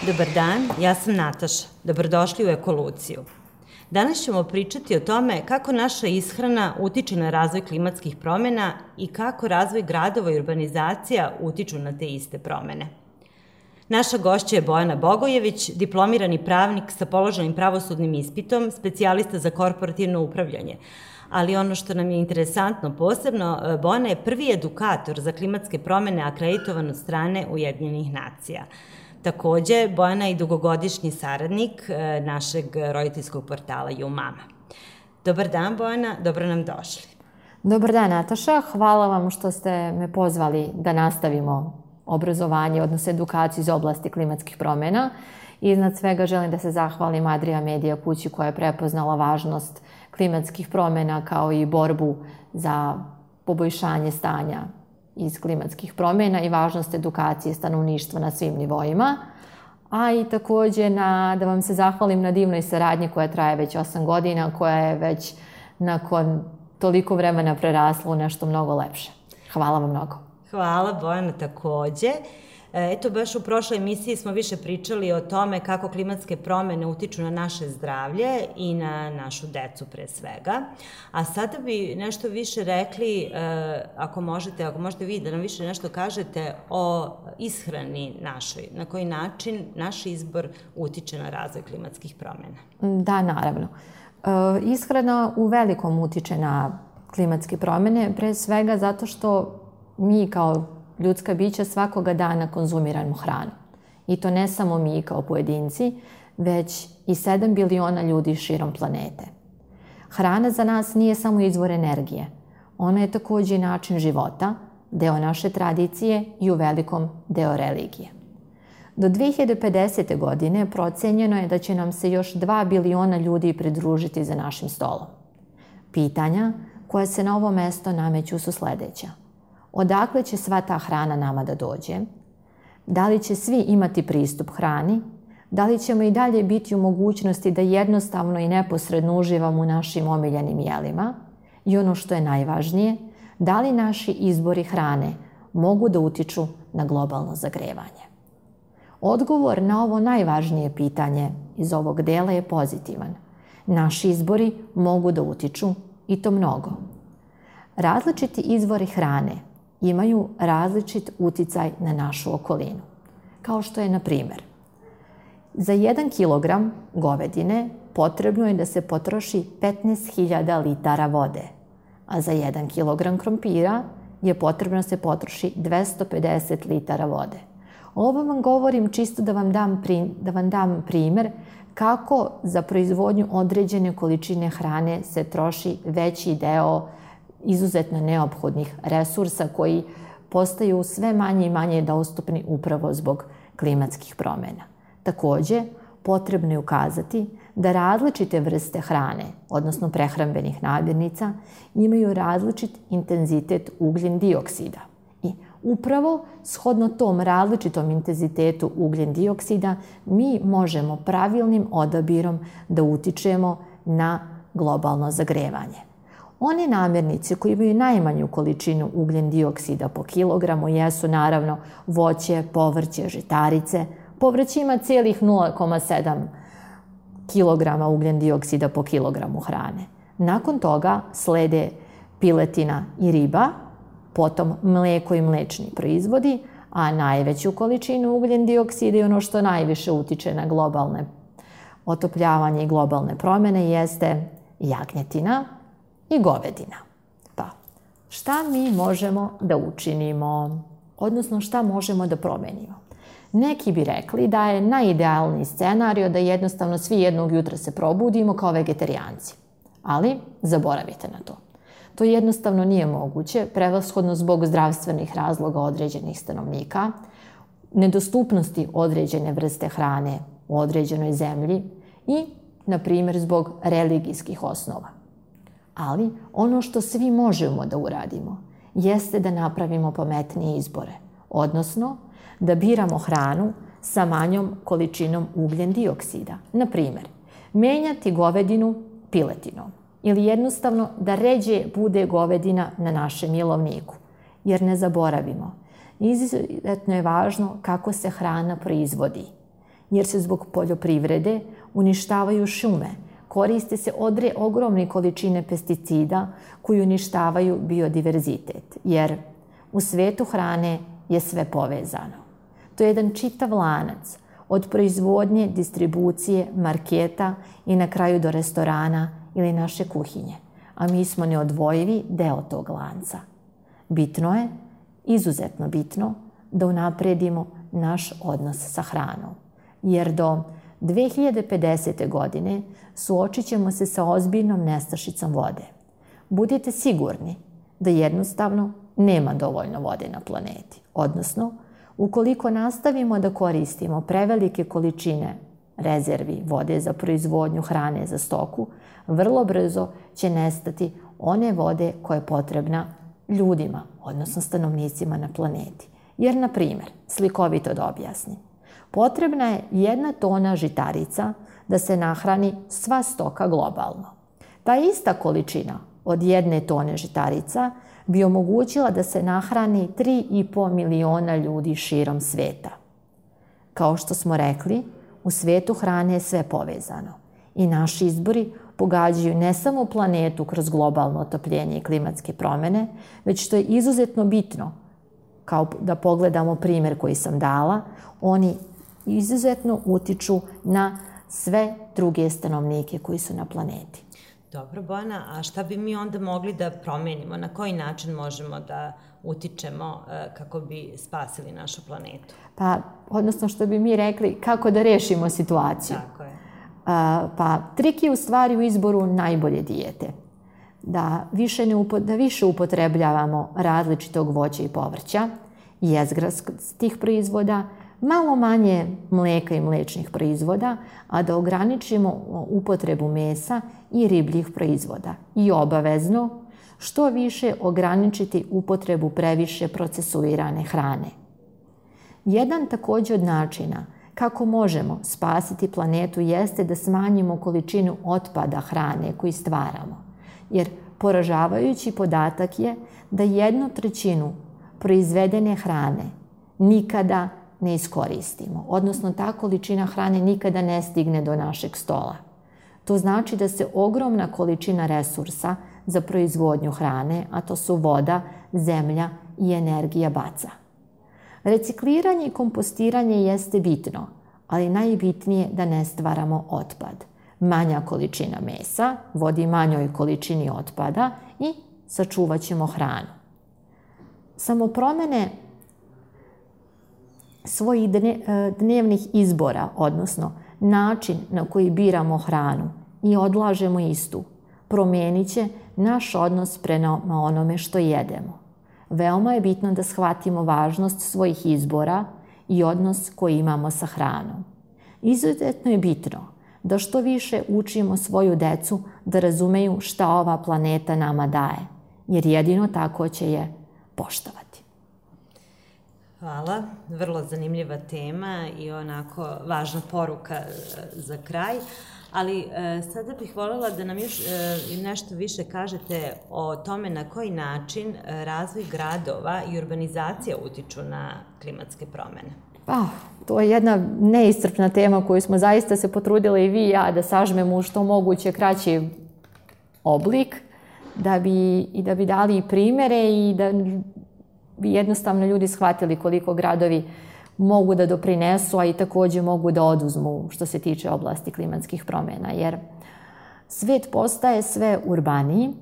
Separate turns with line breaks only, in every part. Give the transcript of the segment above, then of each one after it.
Dobar dan, ja sam Nataša. Dobrodošli u Ekoluciju. Danas ćemo pričati o tome kako naša ishrana utiče na razvoj klimatskih promjena i kako razvoj gradova i urbanizacija utiču na te iste promjene. Naša gošća je Bojana Bogojević, diplomirani pravnik sa položenim pravosudnim ispitom, specijalista za korporativno upravljanje. Ali ono što nam je interesantno posebno, Bojana je prvi edukator za klimatske promjene akreditovan od strane Ujedinjenih nacija. Takođe, Bojana je i dugogodišnji saradnik našeg roditeljskog portala YouMama. Dobar dan, Bojana, dobro nam došli.
Dobar dan, Nataša. Hvala vam što ste me pozvali da nastavimo obrazovanje, odnosno edukaciju iz oblasti klimatskih promjena. Iznad svega želim da se zahvalim Adria Media kući koja je prepoznala važnost klimatskih promjena kao i borbu za poboljšanje stanja iz klimatskih promjena i važnost edukacije stanovništva na svim nivoima. A i također da vam se zahvalim na divnoj saradnji koja traje već 8 godina, koja je već nakon toliko vremena prerasla u nešto mnogo lepše. Hvala vam mnogo.
Hvala, Bojana, takođe. Eto, baš u prošloj emisiji smo više pričali o tome kako klimatske promjene utiču na naše zdravlje i na našu decu pre svega. A sada bi nešto više rekli, ako možete vi da nam više nešto kažete o ishrani našoj, na koji način naš izbor utiče na razvoj klimatskih promjena.
Da, naravno. Ishrana u velikom utiče na klimatske promjene, pre svega zato što mi kao ljudska bića svakoga dana konzumiramo hranu. I to ne samo mi kao pojedinci, već i 7 biliona ljudi širom planete. Hrana za nas nije samo izvor energije. Ona je također i način života, deo naše tradicije i u velikom deo religije. Do 2050. godine procenjeno je da će nam se još 2 biliona ljudi pridružiti za našim stolom. Pitanja koja se na ovo mesto nameću su sljedeća. Odakle će sva ta hrana nama da dođe? Da li će svi imati pristup hrani? Da li ćemo i dalje biti u mogućnosti da jednostavno i neposredno uživamo u našim omiljenim jelima? I ono što je najvažnije, da li naši izbori hrane mogu da utiču na globalno zagrevanje? Odgovor na ovo najvažnije pitanje iz ovog dela je pozitivan. Naši izbori mogu da utiču i to mnogo. Različiti izvori hrane imaju različit uticaj na našu okolinu. Kao što je, na primjer, za 1 kilogram govedine potrebno je da se potroši 15.000 litara vode, a za 1 kilogram krompira je potrebno da se potroši 250 litara vode. Ovo vam govorim čisto da vam dam primjer kako za proizvodnju određene količine hrane se troši veći deo izuzetno neophodnih resursa koji postaju sve manje i manje dostupni upravo zbog klimatskih promjena. Također, potrebno je ukazati da različite vrste hrane, odnosno prehrambenih namirnica, imaju različit intenzitet ugljen dioksida. I upravo shodno tom različitom intenzitetu ugljen dioksida mi možemo pravilnim odabirom da utičemo na globalno zagrevanje. One namirnice koje imaju najmanju količinu ugljen dioksida po kilogramu jesu naravno voće, povrće, žitarice. Povrće ima cijelih 0,7 kilograma ugljen dioksida po kilogramu hrane. Nakon toga slede piletina i riba, potom mlijeko i mliječni proizvodi, a najveću količinu ugljen dioksida i ono što najviše utiče na globalne otopljavanje i globalne promjene jeste jagnjetina i govedina. Pa, šta mi možemo da učinimo? Odnosno, šta možemo da promenimo? Neki bi rekli da je najidealniji scenario da jednostavno svi jednog jutra se probudimo kao vegetarijanci. Ali zaboravite na to. To jednostavno nije moguće, prevashodno zbog zdravstvenih razloga određenih stanovnika, nedostupnosti određene vrste hrane u određenoj zemlji i, na primjer, zbog religijskih osnova. Ali ono što svi možemo da uradimo jeste da napravimo pametnije izbore, odnosno da biramo hranu sa manjom količinom ugljen dioksida. Na primjer, menjati govedinu piletinom ili jednostavno da ređe bude govedina na našem jelovniku. Jer ne zaboravimo, izuzetno je važno kako se hrana proizvodi. jer se zbog poljoprivrede uništavaju šume, koriste se ogromne količine pesticida koji uništavaju biodiverzitet, jer u svetu hrane je sve povezano. To je jedan čitav lanac, od proizvodnje, distribucije, marketa i na kraju do restorana ili naše kuhinje, a mi smo neodvojivi deo tog lanca. Bitno je, izuzetno bitno, da unapredimo naš odnos sa hranom, jer do 2050. godine suočit ćemo se sa ozbiljnom nestašicom vode. Budite sigurni da jednostavno nema dovoljno vode na planeti, odnosno ukoliko nastavimo da koristimo prevelike količine rezervi vode za proizvodnju hrane za stoku, vrlo brzo će nestati one vode koja je potrebna ljudima, odnosno stanovnicima na planeti. Jer, na primjer, slikovito da objasnim, potrebna je 1 tona žitarica da se nahrani sva stoka globalno. Ta ista količina od 1 tone žitarica bi omogućila da se nahrani 3,5 miliona ljudi širom sveta. Kao što smo rekli, u svetu hrane je sve povezano i naši izbori pogađaju ne samo planetu kroz globalno otopljenje i klimatske promjene, već što je izuzetno bitno, kao da pogledamo primjer koji sam dala, oni izuzetno utiču na sve druge stanovnike koji su na planeti.
Dobro, Bojana, a šta bi mi onda mogli da promenimo? Na koji način možemo da utičemo kako bi spasili našu planetu?
Pa, odnosno što bi mi rekli, kako da rešimo situaciju.
Tako je.
Pa, trik je u stvari u izboru najbolje dijete. Da više upotrebljavamo različitog voća i povrća, jezgrastih proizvoda, malo manje mleka i mlečnih proizvoda, a da ograničimo upotrebu mesa i ribljih proizvoda. I obavezno, što više ograničiti upotrebu previše procesuirane hrane. Jedan također od načina kako možemo spasiti planetu jeste da smanjimo količinu otpada hrane koju stvaramo. Jer poražavajući podatak je da 1/3 proizvedene hrane nikada ne iskoristimo, odnosno ta količina hrane nikada ne stigne do našeg stola. To znači da se ogromna količina resursa za proizvodnju hrane, a to su voda, zemlja i energija, baca. Recikliranje i kompostiranje jeste bitno, ali najbitnije da ne stvaramo otpad. Manja količina mesa vodi manjoj količini otpada i sačuvat ćemo hranu. Samo promjene svojih dnevnih izbora, odnosno način na koji biramo hranu i odlažemo istu, promijenit će naš odnos prema onome što jedemo. Veoma je bitno da shvatimo važnost svojih izbora i odnos koji imamo sa hranom. Izuzetno je bitno da što više učimo svoju decu da razumeju šta ova planeta nama daje, jer jedino tako će je poštovati.
Hvala, vrlo zanimljiva tema i onako važna poruka za kraj, ali sada bih voljela da nam još nešto više kažete o tome na koji način razvoj gradova i urbanizacija utiču na klimatske promjene.
To je jedna neiscrpna tema koju smo zaista se potrudile i vi i ja da sažmemo u što moguće kraći oblik, da bi dali primjere i da bi jednostavno ljudi shvatili koliko gradovi mogu da doprinesu, a i također mogu da oduzmu što se tiče oblasti klimatskih promjena. Jer svet postaje sve urbaniji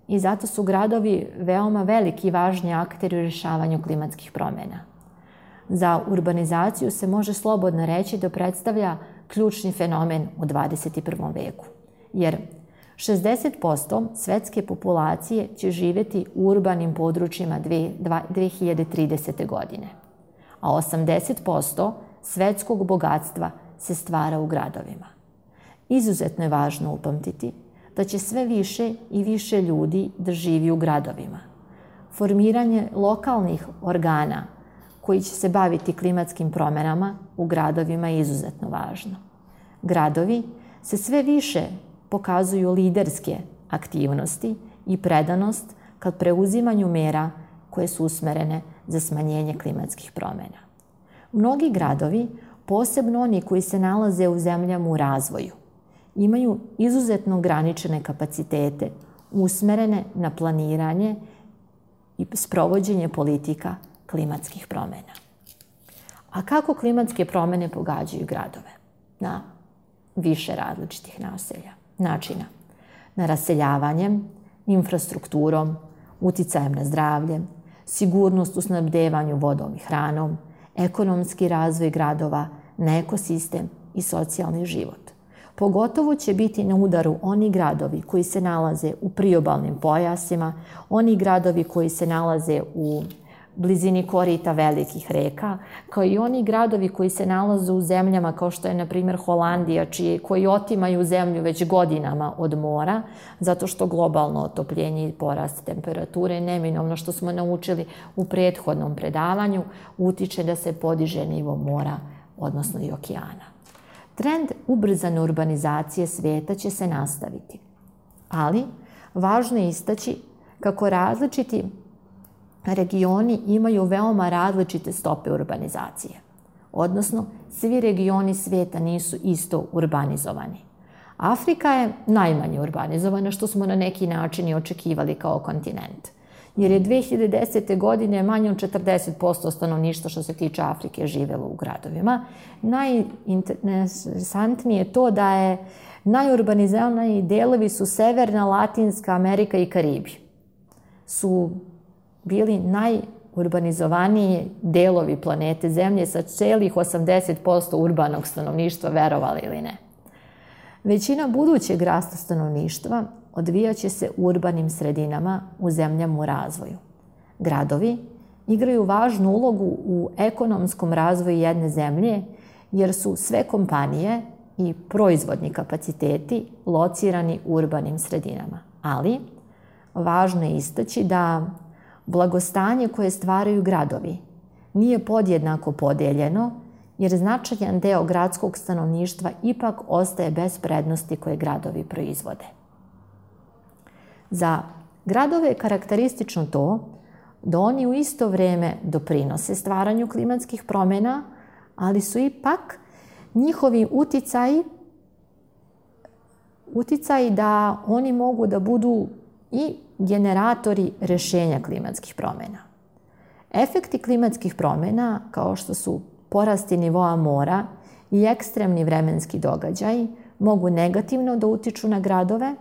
i zato su gradovi veoma veliki i važni akteri u rješavanju klimatskih promjena. Za urbanizaciju se može slobodno reći da predstavlja ključni fenomen u 21. veku. Jer 60% svetske populacije će živjeti u urbanim područjima 2030. godine, a 80% svetskog bogatstva se stvara u gradovima. Izuzetno je važno upamtiti da će sve više i više ljudi da živi u gradovima. Formiranje lokalnih organa koji će se baviti klimatskim promjenama u gradovima je izuzetno važno. Gradovi se sve više pokazuju liderske aktivnosti i predanost kad preuzimanju mera koje su usmerene za smanjenje klimatskih promjena. Mnogi gradovi posebno oni koji se nalaze u zemljama u razvoju, imaju izuzetno ograničene kapacitete usmerene na planiranje i sprovođenje politika klimatskih promjena. A kako klimatske promjene pogađaju gradove? Na više različitih načina. Na raseljavanjem, infrastrukturom, uticajem na zdravlje, sigurnost u snabdevanju vodom i hranom, ekonomski razvoj gradova, na ekosistem i socijalni život. Pogotovo će biti na udaru oni gradovi koji se nalaze u priobalnim pojasima, oni gradovi koji se nalaze u blizini korita velikih reka, kao i oni gradovi koji se nalaze u zemljama kao što je, na primjer, Holandija, koji otimaju zemlju već godinama od mora, zato što globalno otopljenje i porast temperature, neminovno što smo naučili u prethodnom predavanju, utiče da se podiže nivo mora, odnosno i okeana. Trend ubrzane urbanizacije svijeta će se nastaviti, ali važno je istaći kako različiti regioni imaju veoma različite stope urbanizacije. Odnosno, svi regioni svijeta nisu isto urbanizovani. Afrika je najmanje urbanizovana, što smo na neki način i očekivali kao kontinent. Jer je 2010. godine manje od 40% stanovništva što se tiče Afrike živjelo u gradovima. Najinteresantnije je to da je najurbaniziraniji delovi su Severna, Latinska Amerika i Karibi. Su bili najurbanizovaniji delovi planete Zemlje sa celih 80% urbanog stanovništva, verovali ili ne. Većina budućeg rasta stanovništva odvijaće se u urbanim sredinama u zemljama u razvoju. Gradovi igraju važnu ulogu u ekonomskom razvoju jedne zemlje jer su sve kompanije i proizvodni kapaciteti locirani u urbanim sredinama. Ali važno je istaći da blagostanje koje stvaraju gradovi nije podjednako podeljeno jer značajan deo gradskog stanovništva ipak ostaje bez prednosti koje gradovi proizvode. Za gradove je karakteristično to da oni u isto vrijeme doprinose stvaranju klimatskih promjena, ali su ipak njihovi uticaji da oni mogu da budu i generatori rješenja klimatskih promjena. Efekti klimatskih promjena, kao što su porasti nivoa mora i ekstremni vremenski događaji, mogu negativno da utiču na gradove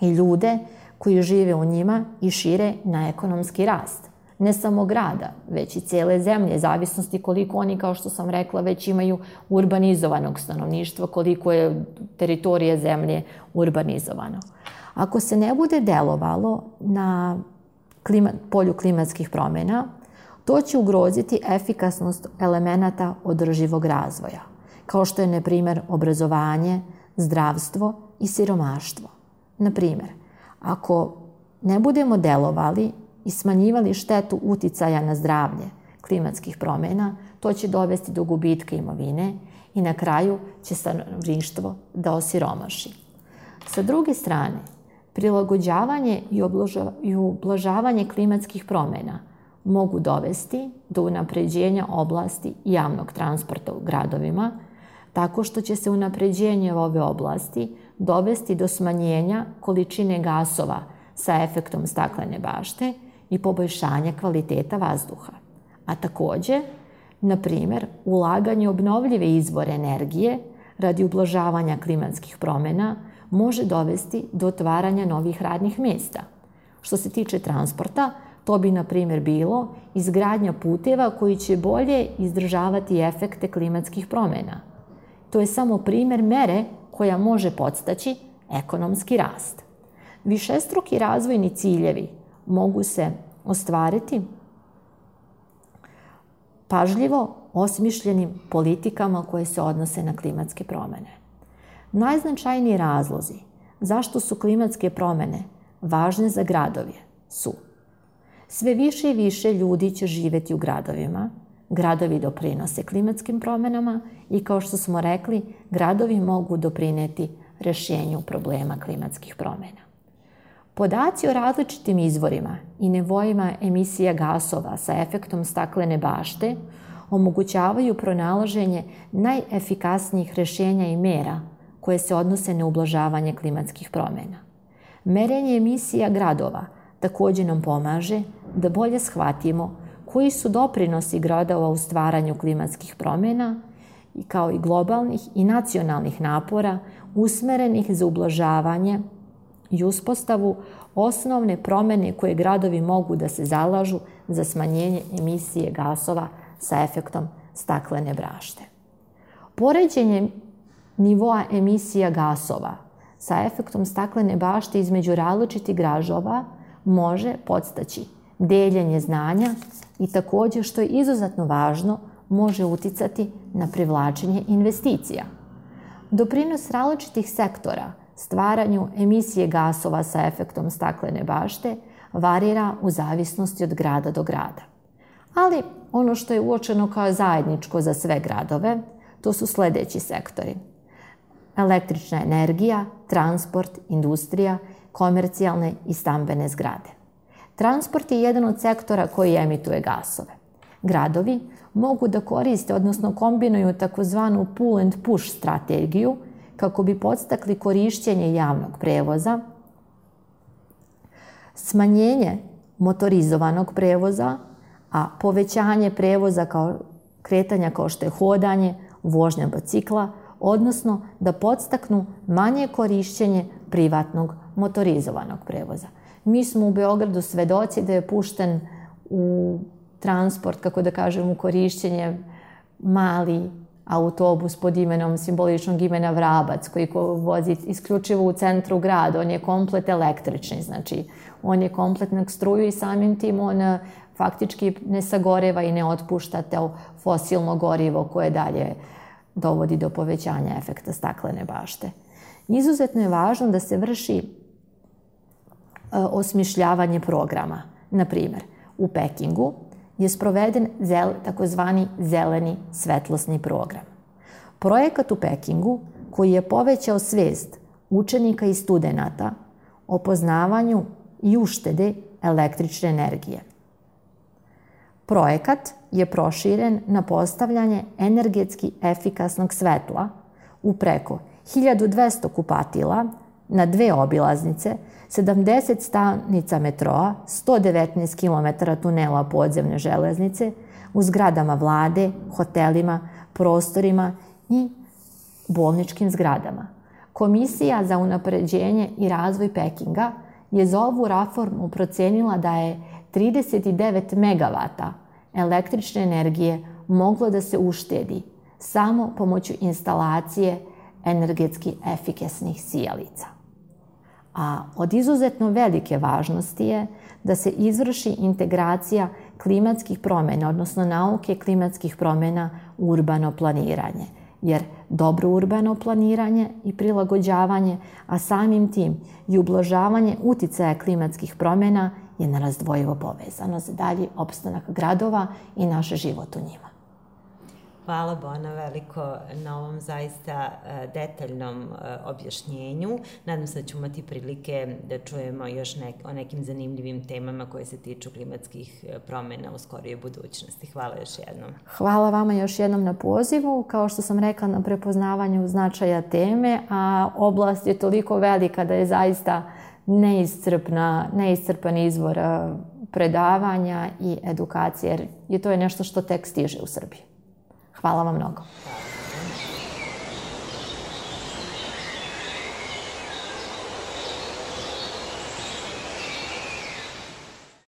i ljude koji žive u njima i šire na ekonomski rast. Ne samo grada, već i cijele zemlje, zavisnosti koliko oni, kao što sam rekla, već imaju urbanizovanog stanovništva, koliko je teritorije zemlje urbanizovano. Ako se ne bude delovalo na polju klimatskih promjena, to će ugroziti efikasnost elemenata održivog razvoja, kao što je, na primjer, obrazovanje, zdravstvo i siromaštvo. Na primjer, ako ne budemo delovali i smanjivali štetu uticaja na zdravlje klimatskih promjena, to će dovesti do gubitka imovine i na kraju će stanovništvo da osiromaši. Sa druge strane, prilagođavanje i ublažavanje klimatskih promjena mogu dovesti do unapređenja oblasti javnog transporta u gradovima, tako što će se unapređenje ove oblasti dovesti do smanjenja količine gasova sa efektom staklene bašte i poboljšanja kvaliteta vazduha. A također, na primjer, ulaganje u obnovljive izvore energije radi ublažavanja klimatskih promjena može dovesti do otvaranja novih radnih mjesta. Što se tiče transporta, to bi, na primjer, bilo izgradnja puteva koji će bolje izdržavati efekte klimatskih promjena. To je samo primjer mere koja može podstaći ekonomski rast. Višestruki razvojni ciljevi mogu se ostvariti pažljivo osmišljenim politikama koje se odnose na klimatske promjene. Najznačajniji razlozi zašto su klimatske promjene važne za gradove su: sve više i više ljudi će živjeti u gradovima, gradovi doprinose klimatskim promjenama i, kao što smo rekli, gradovi mogu doprinijeti rješenju problema klimatskih promjena. Podaci o različitim izvorima i nivoima emisija gasova sa efektom staklene bašte omogućavaju pronalaženje najefikasnijih rješenja i mera koje se odnose na ublažavanje klimatskih promjena. Merenje emisija gradova također nam pomaže da bolje shvatimo koji su doprinosi gradova u stvaranju klimatskih promjena kao i globalnih i nacionalnih napora usmerenih za ublažavanje i uspostavu osnovne promjene koje gradovi mogu da se zalažu za smanjenje emisije gasova sa efektom staklene bašte. Poređenje nivoa emisija gasova sa efektom staklene bašte između različitih gradova može podstaći deljenje znanja i također, što je izuzetno važno, može uticati na privlačenje investicija. Doprinos različitih sektora stvaranju emisije gasova sa efektom staklene bašte varira u zavisnosti od grada do grada. Ali ono što je uočeno kao zajedničko za sve gradove, to su sljedeći sektori: električna energija, transport, industrija, komercijalne i stambene zgrade. Transport je jedan od sektora koji emituje gasove. Gradovi mogu da koriste, odnosno kombinuju takozvanu pull and push strategiju kako bi podstakli korišćenje javnog prevoza, smanjenje motorizovanog prevoza, a povećanje prevoza kretanja kao što je hodanje, vožnja bicikla, odnosno da podstaknu manje korišćenje privatnog motorizovanog prevoza. Mi smo u Beogradu svedoci da je pušten u transport, kako da kažem, u korišćenje mali autobus pod imenom, simboličnog imena Vrabac, koji vozi isključivo u centru grada. On je komplet električni, znači on je kompletno struju i samim tim on faktički ne sagoreva i ne otpušta to fosilno gorivo koje dalje dovodi do povećanja efekta staklene bašte. Izuzetno je važno da se vrši osmišljavanje programa. Na primjer, u Pekingu je sproveden takozvani zeleni svetlosni program. Projekat u Pekingu koji je povećao svijest učenika i studenata o poznavanju i uštede električne energije. Projekat je proširen na postavljanje energetski efikasnog svetla u preko 1200 kupatila na 2 obilaznice, 70 stanica metroa, 119 km tunela podzemne železnice, u zgradama vlade, hotelima, prostorima i bolničkim zgradama. Komisija za unapređenje i razvoj Pekinga je za ovu reformu procenila da je 39 megavata električne energije moglo da se uštedi samo pomoću instalacije energetski efikasnih sijalica. A od izuzetno velike važnosti je da se izvrši integracija klimatskih promjena, odnosno nauke klimatskih promjena u urbano planiranje. Jer dobro urbano planiranje i prilagođavanje, a samim tim i ublažavanje uticaja klimatskih promjena je nerazdvojivo povezano za dalji opstanak gradova i naš život u njima.
Hvala Bona veliko na ovom zaista detaljnom objašnjenju. Nadam se da ćemo imati prilike da čujemo još o nekim zanimljivim temama koje se tiču klimatskih promjena u skorijoj budućnosti. Hvala još jednom.
Hvala vama još jednom na pozivu. Kao što sam rekla, na prepoznavanju značaja teme, a oblast je toliko velika da je zaista neiscrpan izvor predavanja i edukacije, jer to je nešto što tek stiže u Srbiji. Hvala vam mnogo.